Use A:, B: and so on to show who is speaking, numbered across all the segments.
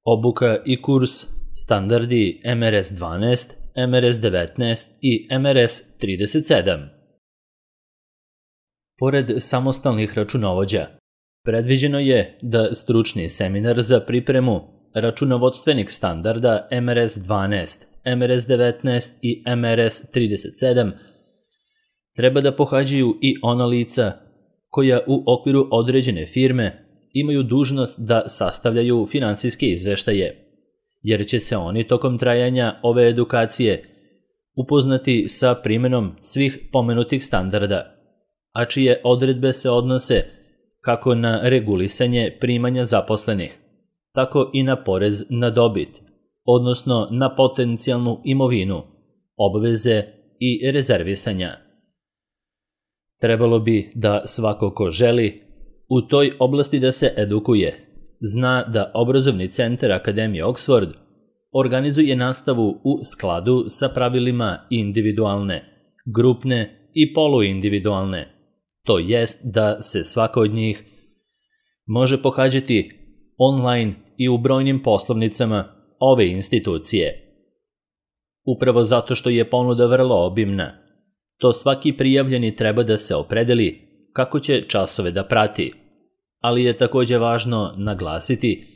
A: Obuka i kurs standardi MRS-12, MRS-19 i MRS-37. Pored samostalnih računovođa, predviđeno je da stručni seminar za pripremu računovodstvenih standarda MRS-12, MRS-19 i MRS-37 treba da pohađaju i ona lica koja u okviru određene firme imaju dužnost da sastavljaju finansijske izveštaje, jer će se oni tokom trajanja ove edukacije upoznati sa primenom svih pomenutih standarda, a čije odredbe se odnose kako na regulisanje primanja zaposlenih, tako i na porez na dobit, odnosno na potencijalnu imovinu, obveze i rezervisanja. Trebalo bi da svako ko želi u toj oblasti da se edukuje zna da obrazovni centar Akademije Oxford organizuje nastavu u skladu sa pravilima individualne, grupne i poluindividualne, to jest da se svaka od njih može pohađati online i u brojnim poslovnicama ove institucije. Upravo zato što je ponuda vrlo obimna, to svaki prijavljeni treba da se opredeli kako će časove da prati, ali je takođe važno naglasiti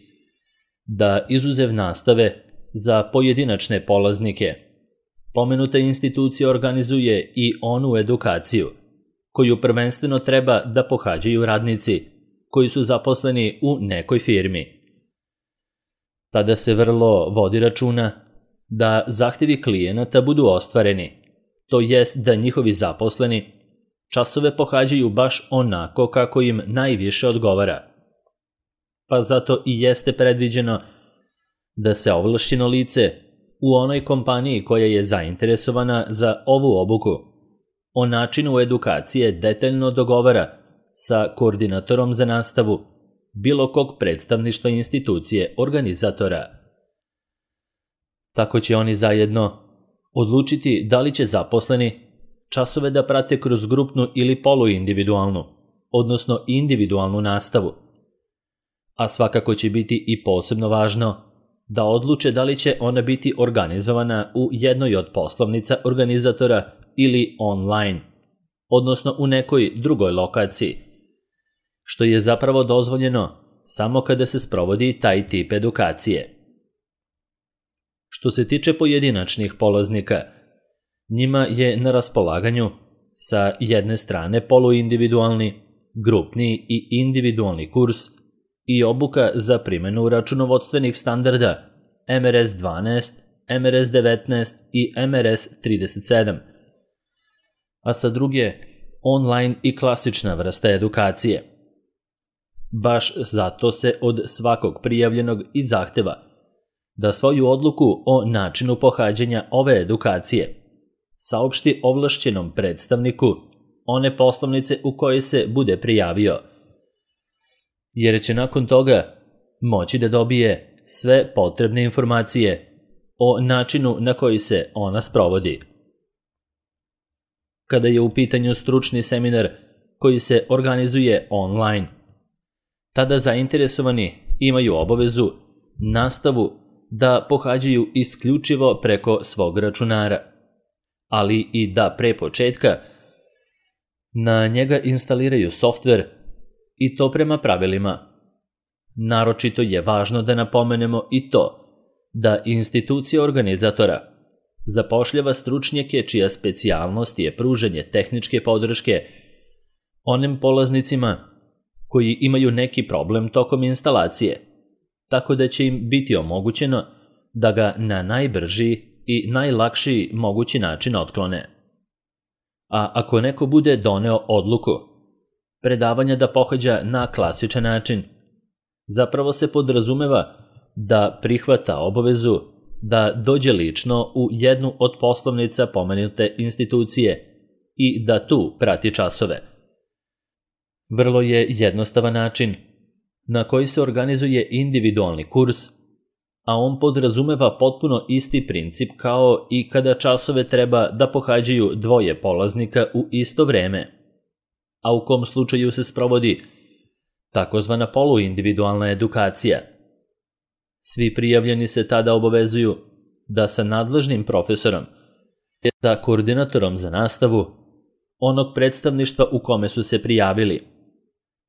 A: da izuzev nastave za pojedinačne polaznike, pomenuta institucija organizuje i onu edukaciju koju prvenstveno treba da pohađaju radnici koji su zaposleni u nekoj firmi. Tada se vrlo vodi računa da zahtevi klijenata budu ostvareni, to jest da njihovi zaposleni časove pohađaju baš onako kako im najviše odgovara. Pa zato i jeste predviđeno da se ovlašćeno lice u onoj kompaniji koja je zainteresovana za ovu obuku o načinu edukacije detaljno dogovara sa koordinatorom za nastavu bilo kog predstavništva institucije organizatora. Tako će oni zajedno odlučiti da li će zaposleni časove da prate kroz grupnu ili poluindividualnu, odnosno individualnu nastavu. A svakako će biti i posebno važno da odluče da li će ona biti organizovana u jednoj od poslovnica organizatora ili online, odnosno u nekoj drugoj lokaciji, što je zapravo dozvoljeno samo kada se sprovodi taj tip edukacije. Što se tiče pojedinačnih polaznika, njima je na raspolaganju sa jedne strane poluindividualni, grupni i individualni kurs i obuka za primenu računovodstvenih standarda MRS-12, MRS-19 i MRS-37, a sa druge online i klasična vrsta edukacije. Baš zato se od svakog prijavljenog i zahteva da svoju odluku o načinu pohađanja ove edukacije saopšti ovlašćenom predstavniku one poslovnice u kojoj se bude prijavio, jer će nakon toga moći da dobije sve potrebne informacije o načinu na koji se ona sprovodi. Kada je u pitanju stručni seminar koji se organizuje online, tada zainteresovani imaju obavezu nastavu da pohađaju isključivo preko svog računara, ali i da pre početka na njega instaliraju softver i to prema pravilima. Naročito je važno da napomenemo i to da institucija organizatora zapošljava stručnjake čija specijalnost je pružanje tehničke podrške onim polaznicima koji imaju neki problem tokom instalacije, tako da će im biti omogućeno da ga na najbrži i najlakši mogući način otklone. A ako neko bude doneo odluku predavanja da pohađa na klasičan način, zapravo se podrazumeva da prihvata obavezu da dođe lično u jednu od poslovnica pomenute institucije i da tu prati časove. Vrlo je jednostavan način na koji se organizuje individualni kurs, a on podrazumeva potpuno isti princip kao i kada časove treba da pohađaju dvoje polaznika u isto vreme, a u kom slučaju se sprovodi takozvana poluindividualna edukacija. Svi prijavljeni se tada obavezuju da sa nadležnim profesorom, sa koordinatorom za nastavu, onog predstavništva u kome su se prijavili,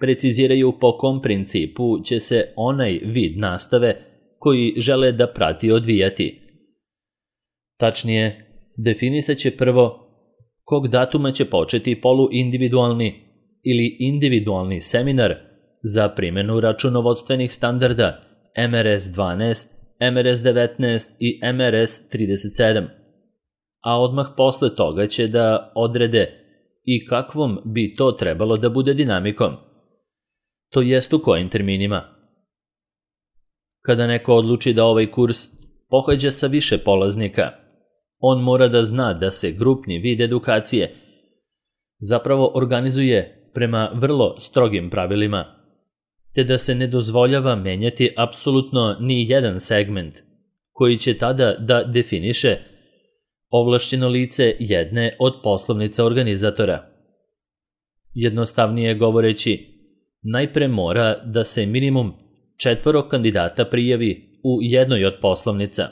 A: preciziraju po kom principu će se onaj vid nastave koji žele da prati odvijati. Tačnije, definisat će prvo kog datuma će početi poluindividualni ili individualni seminar za primjenu računovodstvenih standarda MRS 12, MRS 19 i MRS 37, a odmah posle toga će da odrede i kakvom bi to trebalo da bude dinamikom, to jest u kojim terminima. Kada neko odluči da ovaj kurs pohađa sa više polaznika, on mora da zna da se grupni vid edukacije zapravo organizuje prema vrlo strogim pravilima, te da se ne dozvoljava menjati apsolutno ni jedan segment, koji će tada da definiše ovlašćeno lice jedne od poslovnica organizatora. Jednostavnije govoreći, najpre mora da se minimum 4 kandidata prijavi u jednoj od poslovnica,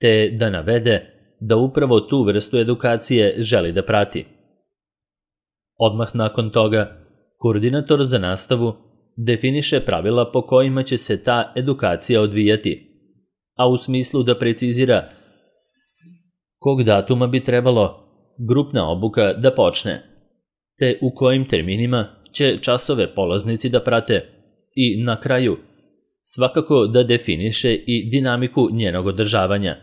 A: te da navede da upravo tu vrstu edukacije želi da prati. Odmah nakon toga, koordinator za nastavu definiše pravila po kojima će se ta edukacija odvijati, a u smislu da precizira kog datuma bi trebalo grupna obuka da počne, te u kojim terminima će časove polaznici da prate i na kraju svakako da definiše i dinamiku njenog održavanja.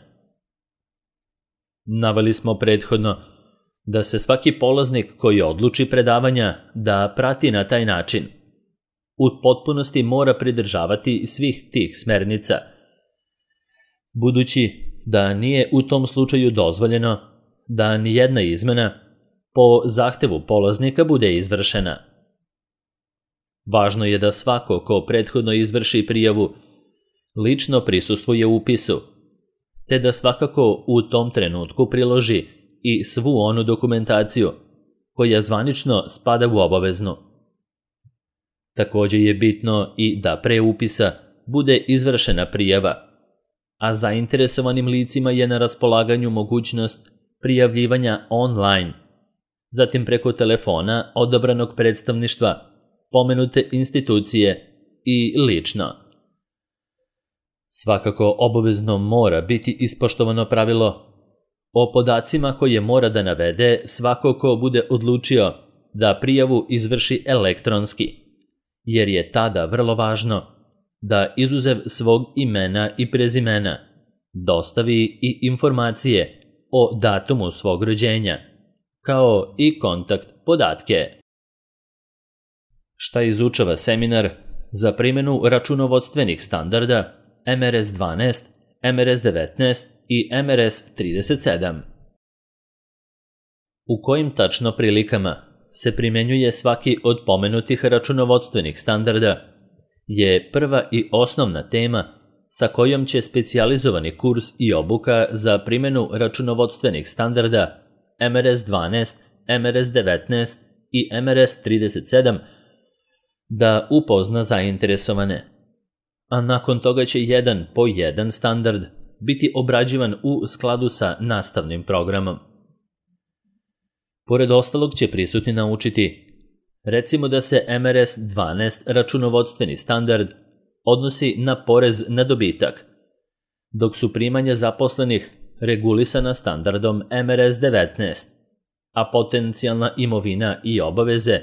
A: Naveli smo prethodno da se svaki polaznik koji odluči predavanja da prati na taj način u potpunosti mora pridržavati svih tih smernica, budući da nije u tom slučaju dozvoljeno da nijedna izmena po zahtevu polaznika bude izvršena. Važno je da svako ko prethodno izvrši prijavu lično prisustvuje upisu, te da svakako u tom trenutku priloži i svu onu dokumentaciju koja zvanično spada u obaveznu. Također je bitno i da pre upisa bude izvršena prijava, a zainteresovanim licima je na raspolaganju mogućnost prijavljivanja online, zatim preko telefona odabranog predstavništva, pomenute institucije i lično. Svakako obavezno mora biti ispoštovano pravilo o podacima koje mora da navede svako ko bude odlučio da prijavu izvrši elektronski, jer je tada vrlo važno da izuzev svog imena i prezimena dostavi i informacije o datumu svog rođenja, kao i kontakt podatke. Šta izučava seminar za primjenu računovodstvenih standarda MRS 12, MRS 19 i MRS 37? U kojim tačno prilikama se primjenjuje svaki od pomenutih računovodstvenih standarda je prva i osnovna tema sa kojom će specijalizovani kurs i obuka za primjenu računovodstvenih standarda MRS 12, MRS 19 i MRS 37 da upozna zainteresovane, a nakon toga će jedan po jedan standard biti obrađivan u skladu sa nastavnim programom. Pored ostalog će prisutni naučiti, recimo da se MRS 12 računovodstveni standard odnosi na porez na dobitak, dok su primanja zaposlenih regulisana standardom MRS 19, a potencijalna imovina i obaveze,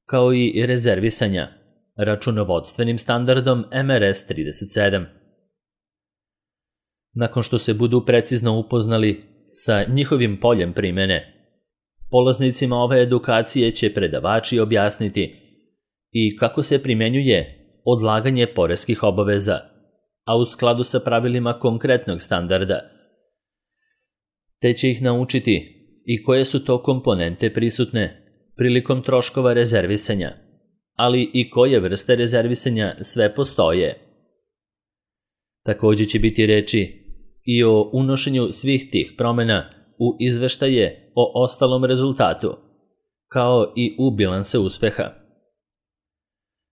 A: kao i rezervisanja, računovodstvenim standardom MRS 37. Nakon što se budu precizno upoznali sa njihovim poljem primjene, polaznicima ove edukacije će predavači objasniti i kako se primjenjuje odlaganje poreskih obaveza, a u skladu sa pravilima konkretnog standarda, te će ih naučiti i koje su to komponente prisutne prilikom troškova rezervisanja, ali i koje vrste rezervisanja sve postoje. Također će biti reči i o unošenju svih tih promjena u izveštaje o ostalom rezultatu, kao i u bilanse uspeha.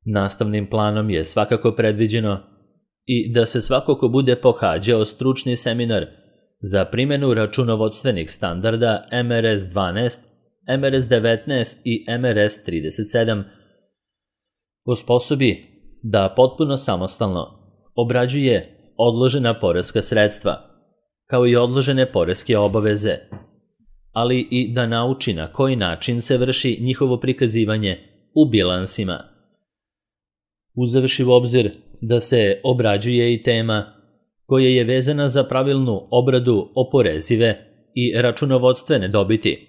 A: Nastavnim planom je svakako predviđeno i da se svako ko bude pohađao stručni seminar za primjenu računovodstvenih standarda MRS 12, MRS 19 i MRS 37 osposobi da potpuno samostalno obrađuje odložena poreska sredstva, kao i odložene poreske obaveze, ali i da nauči na koji način se vrši njihovo prikazivanje u bilansima. Uzevši u obzir da se obrađuje i tema koja je vezana za pravilnu obradu oporezive i računovodstvene dobiti.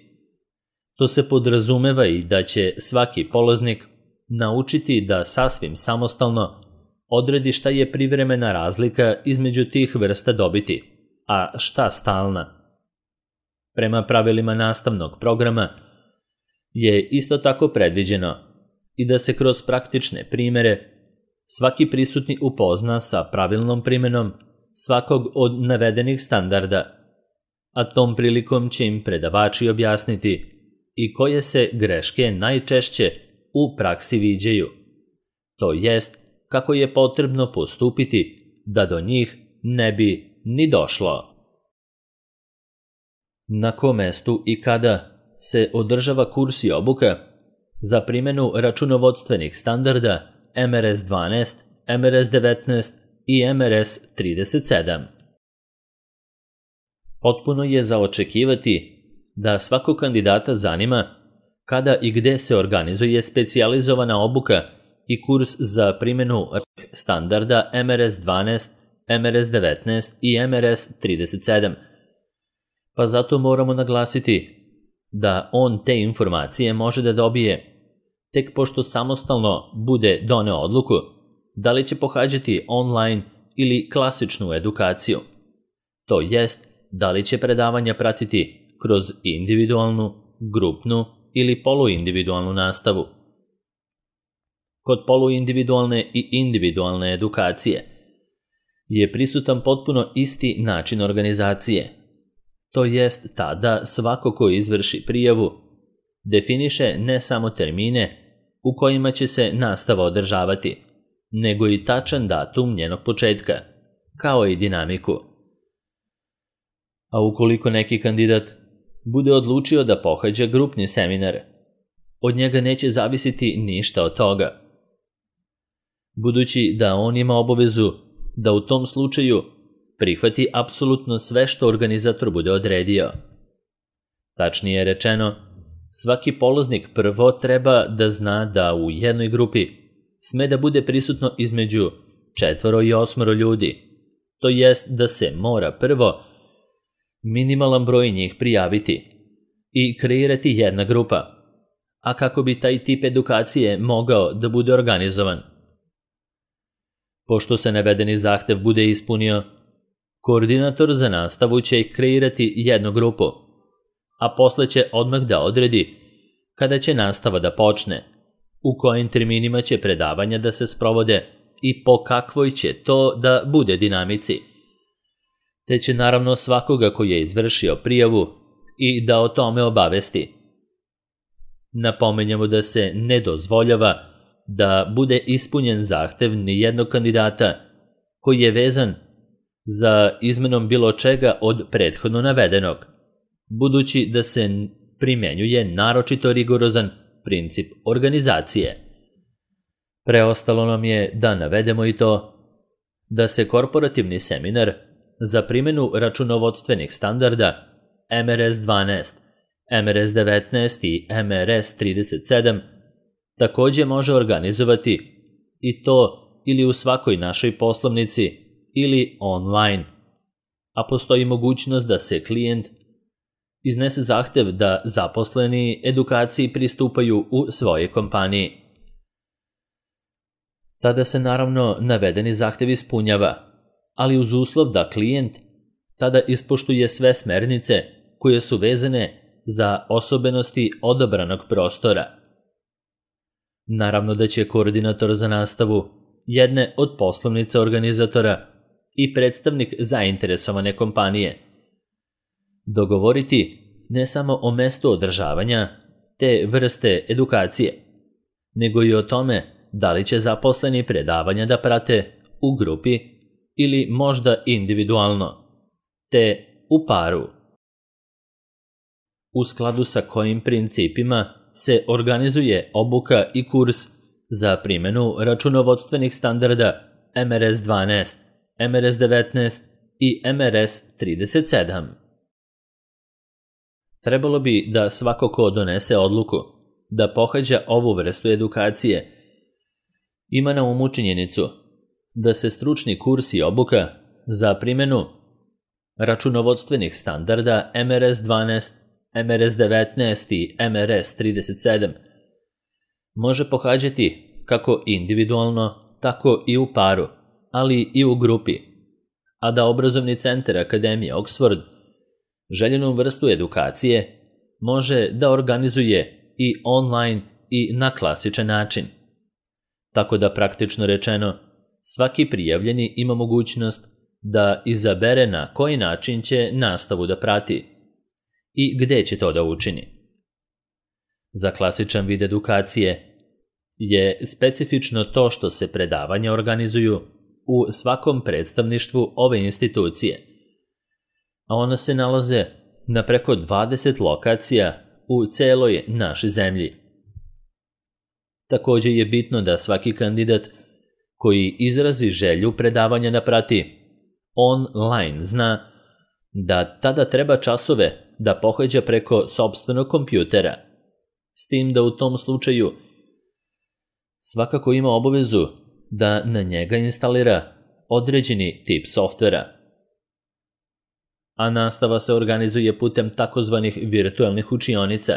A: To se podrazumeva i da će svaki polaznik naučiti da sasvim samostalno odredi šta je privremena razlika između tih vrsta dobiti, a šta stalna. Prema pravilima nastavnog programa je isto tako predviđeno i da se kroz praktične primere svaki prisutni upozna sa pravilnom primjenom svakog od navedenih standarda, a tom prilikom će im predavači objasniti i koje se greške najčešće u praksi viđaju, to jest kako je potrebno postupiti da do njih ne bi ni došlo. Na kom mestu i kada se održava kurs i obuka za primjenu računovodstvenih standarda MRS 12, MRS 19 i MRS 37. Potpuno je za očekivati da svakog kandidata zanima kada i gde se organizuje specijalizovana obuka i kurs za primjenu standarda MRS 12, MRS 19 i MRS 37. Pa zato moramo naglasiti da on te informacije može da dobije tek pošto samostalno bude doneo odluku da li će pohađati online ili klasičnu edukaciju. To jest, da li će predavanja pratiti kroz individualnu, grupnu ili poluindividualnu nastavu. Kod poluindividualne i individualne edukacije je prisutan potpuno isti način organizacije. To jest tada svako ko izvrši prijavu definiše ne samo termine u kojima će se nastava održavati, nego i tačan datum njenog početka, kao i dinamiku. A ukoliko neki kandidat bude odlučio da pohađa grupni seminar, od njega neće zavisiti ništa od toga. Budući da on ima obavezu da u tom slučaju prihvati apsolutno sve što organizator bude odredio. Tačnije rečeno, svaki polaznik prvo treba da zna da u jednoj grupi sme da bude prisutno između 4 i 8 ljudi, to jest da se mora prvo minimalan broj njih prijaviti i kreirati jedna grupa, a kako bi taj tip edukacije mogao da bude organizovan. Pošto se navedeni zahtev bude ispunio, koordinator za nastavu će kreirati jednu grupu, a posle će odmah da odredi kada će nastava da počne, u kojim terminima će predavanja da se sprovode i po kakvoj će to da bude dinamici. Te će naravno svakoga koji je izvršio prijavu i da o tome obavesti. Napomenjamo da se ne dozvoljava da bude ispunjen zahtev ni jednog kandidata koji je vezan za izmenom bilo čega od prethodno navedenog, budući da se primjenjuje naročito rigorozan princip organizacije. Preostalo nam je da navedemo i to da se korporativni seminar za primjenu računovodstvenih standarda MRS 12, MRS 19 i MRS 37 takođe može organizovati i to ili u svakoj našoj poslovnici ili online, a postoji mogućnost da se klijent iznese zahtev da zaposleni edukaciji pristupaju u svojoj kompaniji. Tada se naravno navedeni zahtev ispunjava, ali uz uslov da klijent tada ispoštuje sve smernice koje su vezane za osobenosti odabranog prostora. Naravno da će koordinator za nastavu jedne od poslovnica organizatora i predstavnik zainteresovane kompanije dogovoriti ne samo o mestu održavanja te vrste edukacije, nego i o tome da li će zaposleni predavanja da prate u grupi ili možda individualno, te u paru. U skladu sa kojim principima se organizuje obuka i kurs za primjenu računovodstvenih standarda MRS 12, MRS 19 i MRS 37. Trebalo bi da svako ko donese odluku da pohađa ovu vrstu edukacije ima na umu činjenicu da se stručni kurs i obuka za primjenu računovodstvenih standarda MRS 12, MRS 19 i MRS 37 može pohađati kako individualno, tako i u paru, ali i u grupi, a da obrazovni centar Akademije Oxford željenu vrstu edukacije može da organizuje i online i na klasičan način. Tako da praktično rečeno, svaki prijavljeni ima mogućnost da izabere na koji način će nastavu da prati i gde će to da učini. Za klasičan vid edukacije je specifično to što se predavanja organizuju u svakom predstavništvu ove institucije, a ona se nalaze na preko 20 lokacija u celoj našoj zemlji. Također je bitno da svaki kandidat koji izrazi želju predavanja da prati online zna da tada treba časove da pohađa preko sopstvenog kompjutera, s tim da u tom slučaju svakako ima obavezu da na njega instalira određeni tip softvera. A nastava se organizuje putem takozvanih virtualnih učionica,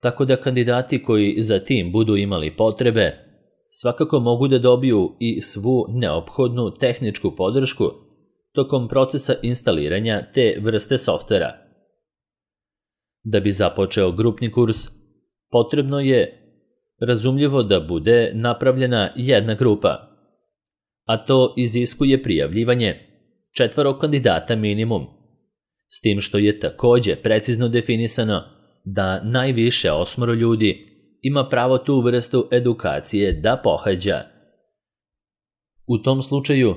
A: tako da kandidati koji za tim budu imali potrebe svakako mogu da dobiju i svu neophodnu tehničku podršku tokom procesa instaliranja te vrste softvera. Da bi započeo grupni kurs, potrebno je razumljivo da bude napravljena jedna grupa, a to iziskuje prijavljivanje 4 kandidata minimum, s tim što je također precizno definisano da najviše 8 ljudi ima pravo tu vrstu edukacije da pohađa. U tom slučaju,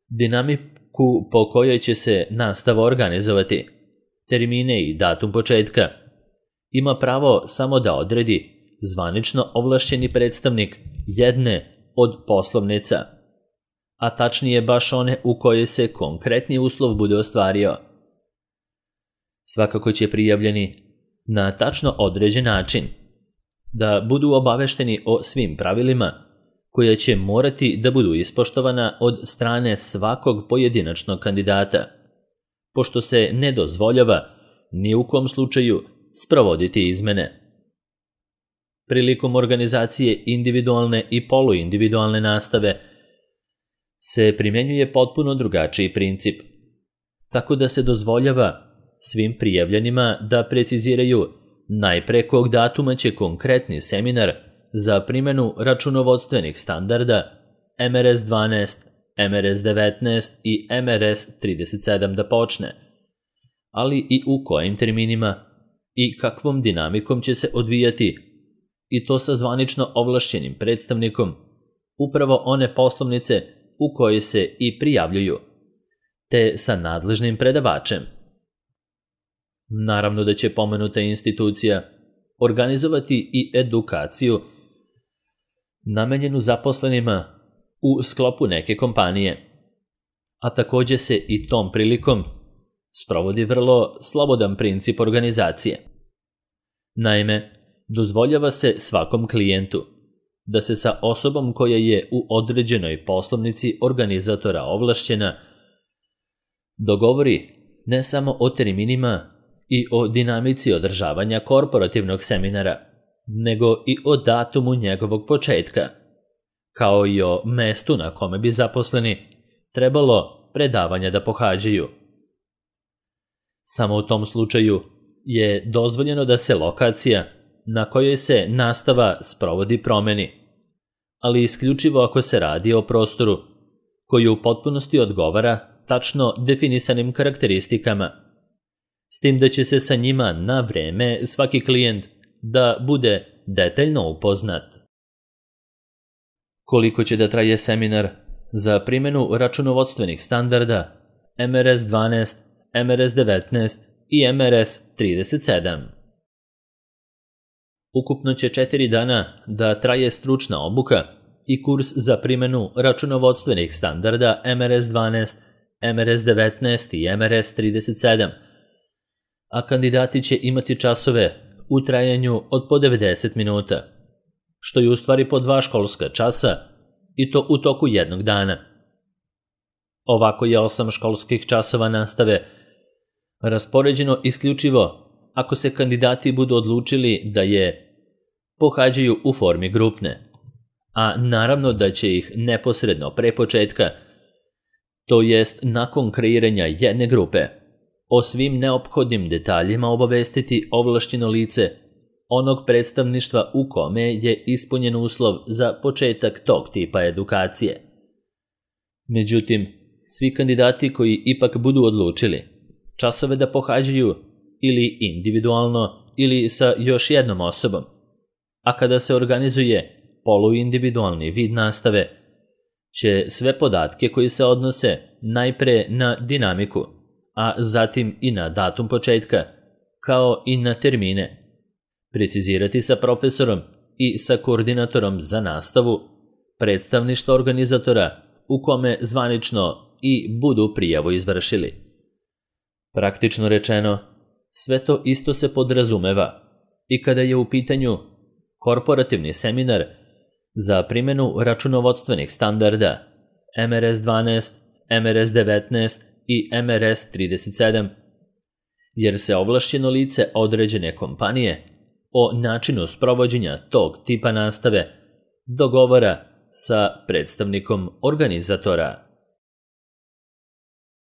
A: dinamiku po kojoj će se nastava organizovati, termine i datum početka, ima pravo samo da odredi zvanično ovlašćeni predstavnik jedne od poslovnica, a tačnije baš one u kojoj se konkretni uslov bude ostvario. Svakako će prijavljeni na tačno određen način da budu obavešteni o svim pravilima koja će morati da budu ispoštovana od strane svakog pojedinačnog kandidata, pošto se ne dozvoljava ni u kom slučaju sprovoditi izmene. Prilikom organizacije individualne i poluindividualne nastave se primjenjuje potpuno drugačiji princip, tako da se dozvoljava svim prijavljenima da preciziraju najpre kog datuma će konkretni seminar za primjenu računovodstvenih standarda MRS 12, MRS 19 i MRS 37 da počne, ali i u kojim terminima i kakvom dinamikom će se odvijati, i to sa zvanično ovlašćenim predstavnikom, upravo one poslovnice u koje se i prijavljuju, te sa nadležnim predavačem. Naravno da će pomenuta institucija organizovati i edukaciju namenjenu zaposlenima u sklopu neke kompanije, a također se i tom prilikom sprovodi vrlo slobodan princip organizacije. Naime, dozvoljava se svakom klijentu da se sa osobom koja je u određenoj poslovnici organizatora ovlašćena dogovori ne samo o terminima i o dinamici održavanja korporativnog seminara, nego i o datumu njegovog početka, kao i o mestu na kome bi zaposleni trebalo predavanja da pohađaju. Samo u tom slučaju je dozvoljeno da se lokacija na kojoj se nastava sprovodi promeni, ali isključivo ako se radi o prostoru koji u potpunosti odgovara tačno definisanim karakteristikama, s tim da će se sa njima na vreme svaki klijent da bude detaljno upoznat. Koliko će da traje seminar, za primjenu računovodstvenih standarda MRS-12, MRS-19 i MRS-37. Ukupno će 4 dana da traje stručna obuka i kurs za primjenu računovodstvenih standarda MRS-12, MRS-19 i MRS-37, a kandidati će imati časove u trajanju od po 90 minuta, što je u stvari po 2 školska časa i to u toku jednog dana. Ovako je 8 školskih časova nastave raspoređeno isključivo ako se kandidati budu odlučili da je pohađaju u formi grupne, a naravno da će ih neposredno pre početka, to jest nakon kreiranja jedne grupe, o svim neophodnim detaljima obavestiti ovlašćeno lice onog predstavništva u kome je ispunjen uslov za početak tog tipa edukacije. Međutim, svi kandidati koji ipak budu odlučili časove da pohađaju ili individualno ili sa još jednom osobom, a kada se organizuje poluindividualni vid nastave, će sve podatke koji se odnose najpre na dinamiku, a zatim i na datum početka, kao i na termine, precizirati sa profesorom i sa koordinatorom za nastavu predstavništva organizatora u kome zvanično i budu prijavu izvršili. Praktično rečeno, sve to isto se podrazumeva i kada je u pitanju korporativni seminar za primjenu računovodstvenih standarda MRS-12, MRS-19 i MRS-37, jer se ovlašćeno lice određene kompanije o načinu sprovođenja tog tipa nastave dogovara sa predstavnikom organizatora.